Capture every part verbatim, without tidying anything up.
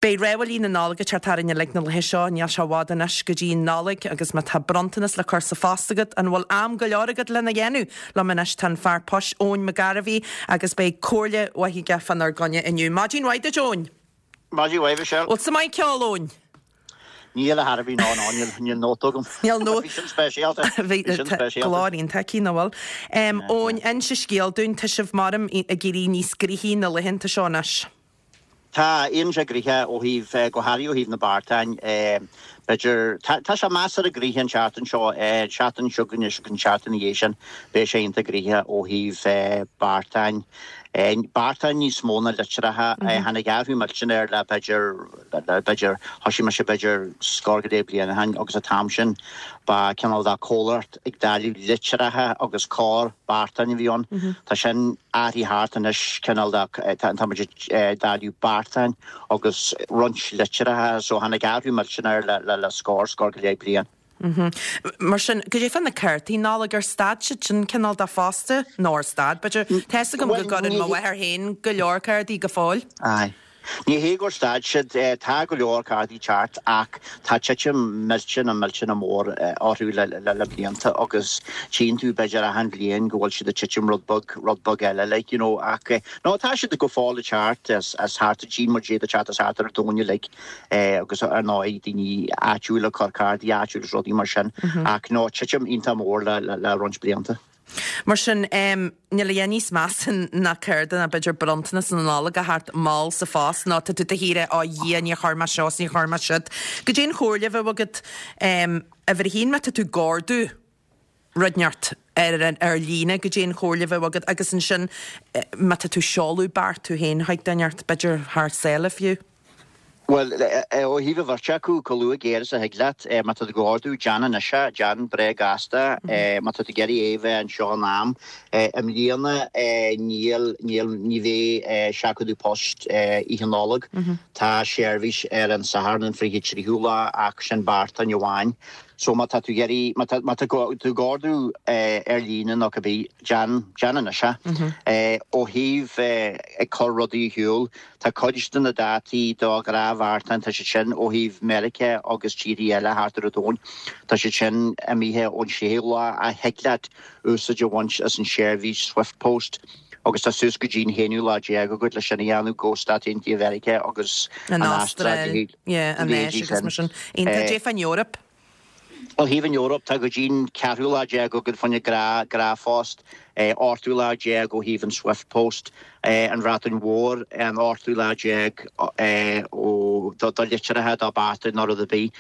Beidh rámhaillí na Nollag ag teacht tharainn uilig na laethe seo, níl sé i bhfad anois go dtí an Nollaig agus má tá bronntanas le cur sa phost agat, an bhfuil am go leor agat lena dhéanamh? Liom anois tá an fear poist Eoin McGarvey agus beidh comhairle mhaith aige fánár gcoinne inniu. Maidin mhaith duit Eoin! Maidin mhaith Michelle. Bhfuil tú maith ag ceol Eoin? Níl a thairbhí ná ná níl níl nóta agam. Níl nó Bhí sin speisialta. Bhí Bhí sin speisialta. glór iontach aici nach bhfuil. Eoin, inis an scéal dúinn, tá sibh maram ag éirí níos gnoithí na laethanta seo anois. Tá éiríonn sé gnoitheach ó thaobh go háirithe ó thaobh na beartáin b'fhéidir tá tá sé measartha gnoitheach an tseachtain seo seachtain seo chugainn agus an tseachtain ina dhiaidh sin beidh sé iontach gnoitheach ó thaobh beartáin. Beartáin níos mó ná litreacha tháinig athrú millteanach air le b'fhéidir b'fhéidir thosaigh mise b'fhéidir scór go leith bliain ó shin agus an t-am sin ba cineál de comhlacht ag dáileadh litreacha agus corr beartáin a bhí ann. Tá sin athraithe thart anois cineál de tá muid ag dáileadh beartáin agus roinnt litreacha so tháinig athrú millteanach air le le le scór scór go leith bliain. Mar sin, goidé fá na cártaí Nollag ar stad siad sin cineál de fosta nó ar stad b'fhéidir Tá fhios agam go Well gcuireann mo ní mháthair féin go leor cártaí go fóill. Aye. Ní hé gur stad siad tá go leor cártaí teacht ach tá titim millteanach millteanach mór orthu le le le blianta agus tchíonn tú b'fhéidir achan bhliain go bhfuil siad ag titim rud beag rud beag eile like you know ach no tá siad go fóill ag teacht as as thart tchíonn muid iad ag teacht as thart ar an domhan uilig agus ar ndóigh daoine áitiúla ag cur cártaí áitiúla is rudaí mar sin ach no titim iontach mór le le le roinnt blianta. Mar sin níl a dhath níos measa ná cárta ná b'fhéidir bronntanas na Nollag a theacht mall sa phost nó tá tú de shíor á Dhia níor chuir mé seo is níor chuir mé siúd. Goidé an chomhairle a bheadh agat uimhir a haon má tá tú ag ordú rud inteacht ar ar líne goidé an chomhairle a bheadh agat agus ansin má tá tú ag seoladh beart tú féin chuig duine inteacht b'fhéidir thar sáile fiú. Well ó thaobh an bheirt acu chomh luath géar is a thig leat má tá tú ag ordú déan anois é déan breá gasta má tá tú ag iarraidh é a bheith anseo in am i mbliana níl níl ní bheidh seachadadh poist Oíche Nollag tá seirbhís ar an Satharn an fiche tríú lá ach sin beartáin amháin so má tá tú ag iarraidh má tá má tá tú ag ordú ar líne nó cibé déan déan anois é ó thaobh ag cur rudaí ar shiúl tá cuid de na dátaí do ghnáthbheartáin tá siad sin ó thaobh Meiriceá agus tíortha eile thart ar an domhan tá siad sin imithe ón séú lá ach thig leat úsáid a bhaint as an seirbhís Swift Post agus tá suas go dtí an haonú lá déag agat leis sin a dhéanamh go Stáit Aontaithe Mheiriceá agus An an Astráil Astráil, yeah, an Áis agus mar sin. Iontach goidé fán Eoraip. Ó thaobh an Eoraip tá go dtí'n ceathrú lá déag agat fá choinne gnáth gnáthphost ochtú lá déag ó thaobh an Swift Post an Bhreatain Mhór an ochtú lá déag ó do do litreacha do beartáin nó rud ar bith.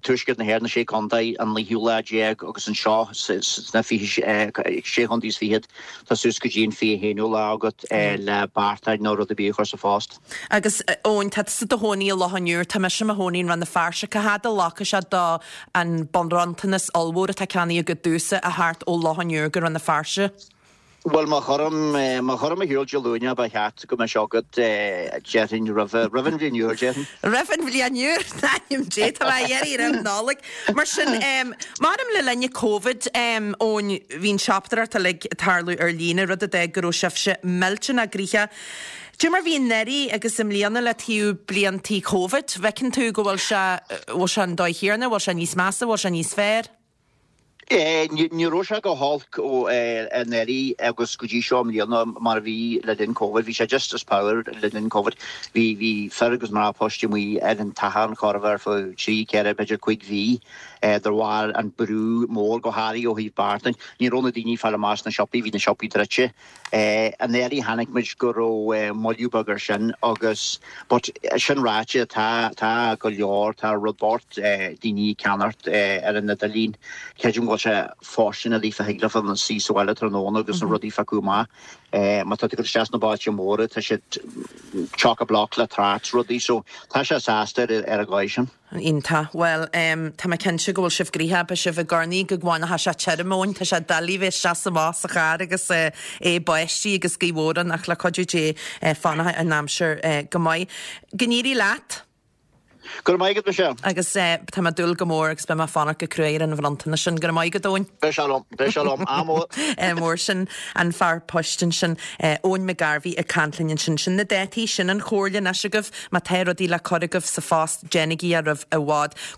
Tuaisceart na hÉireann na sé chontae an naoú lá déag agus anseo sna fiche sé chontae is fichead tá suas go dtí an fiche haonú lá agat le beartáin nó rud ar bith a chur sa phost. Agus Eoin tá tusa i do chónaí i Loch an Iúir tá mise i mo chónaí i Rann na Feirste cá fhad a ghlacfaidh sé do an bronntanas ollmhór atá ceannaithe agat domhsa a theacht ó Loch an Iúir go Rann na Feirste. Well má chuirim má chuirim ar shiúl Dé Luain ba cheart go mbeadh sé agat déarfainn roimh roimh an bhliain úr déarfainn. Roimh an bhliain úr ainm Dé tá mé iarraidh roimh Nollaig. Mar sin maram le linn Covid Eoin bhí an siopadóireacht uilig ag tarlú ar líne rud a d'fhág go raibh sibhse millteanach gnoitheach. Goidé mar bhí anuraidh agus i mbliana le taobh bliantaí Covid, bhfeiceann tú go bhfuil sé bhfuil sé an dóigh chéanna, bhfuil sé níos measa, bhfuil sé níos fearr? Ní raibh sé go holc ó anuraidh agus go dtí seo i mbliana mar a bhí le linn Covid, bhí sé just as power le linn Covid. Bhí bhí fir agus mná poist amuigh ar an tathán chóir a bheith ar feadh trí ceithre b'fhéidir cúig mhí de bharr an brú mór go háirithe ó thaobh beartáin. Ní raibh na daoine ag fáil amach sna siopaí, bhí na siopaí druidte. Anuraidh chonaic muid go raibh moilliú beag ar sin agus but sin ráite tá tá go leor tá rud bocht daoine ag ceannacht ar an idirlíon. Creidim go bhfuil sé fóirsteanach daofa thig leofa na suí sa bhaile tráthnóna agus na rudaí a phiocadh amach. Má tá tú ag dul isteach sna bailte móra tá siad chock-a-block le trácht rudaí so tá sé sásta ar ar an dhóigh sin. Iontach. Well tá mé cinnte go bhfuil sibh gnoitheach, beidh sibh i gcornaí go bhfanfaidh sé tirim Eoin, tá sé doiligh bheith isteach is amach sa charr agus é báistí agus gaoth mhór ann ach le cuidiú Dé fanfaidh an aimsir go maith. Go n-éirí leat! Go raibh maith agat Michelle. Agus tá mé ag dúil go mór agus beidh mé ag fanacht go cruaidh ar an bhronntanas sin. Go raibh maith agat Eoin. Beidh sé liom, beidh sé liom, ádh mór. Mór sin an fear poist ansin Eoin McGarvey ag caint linn ansin sin na dátaí sin an chomhairle anois agaibh má tá rudaí le cur agaibh sa phost déanaigí é roimh i bhfad.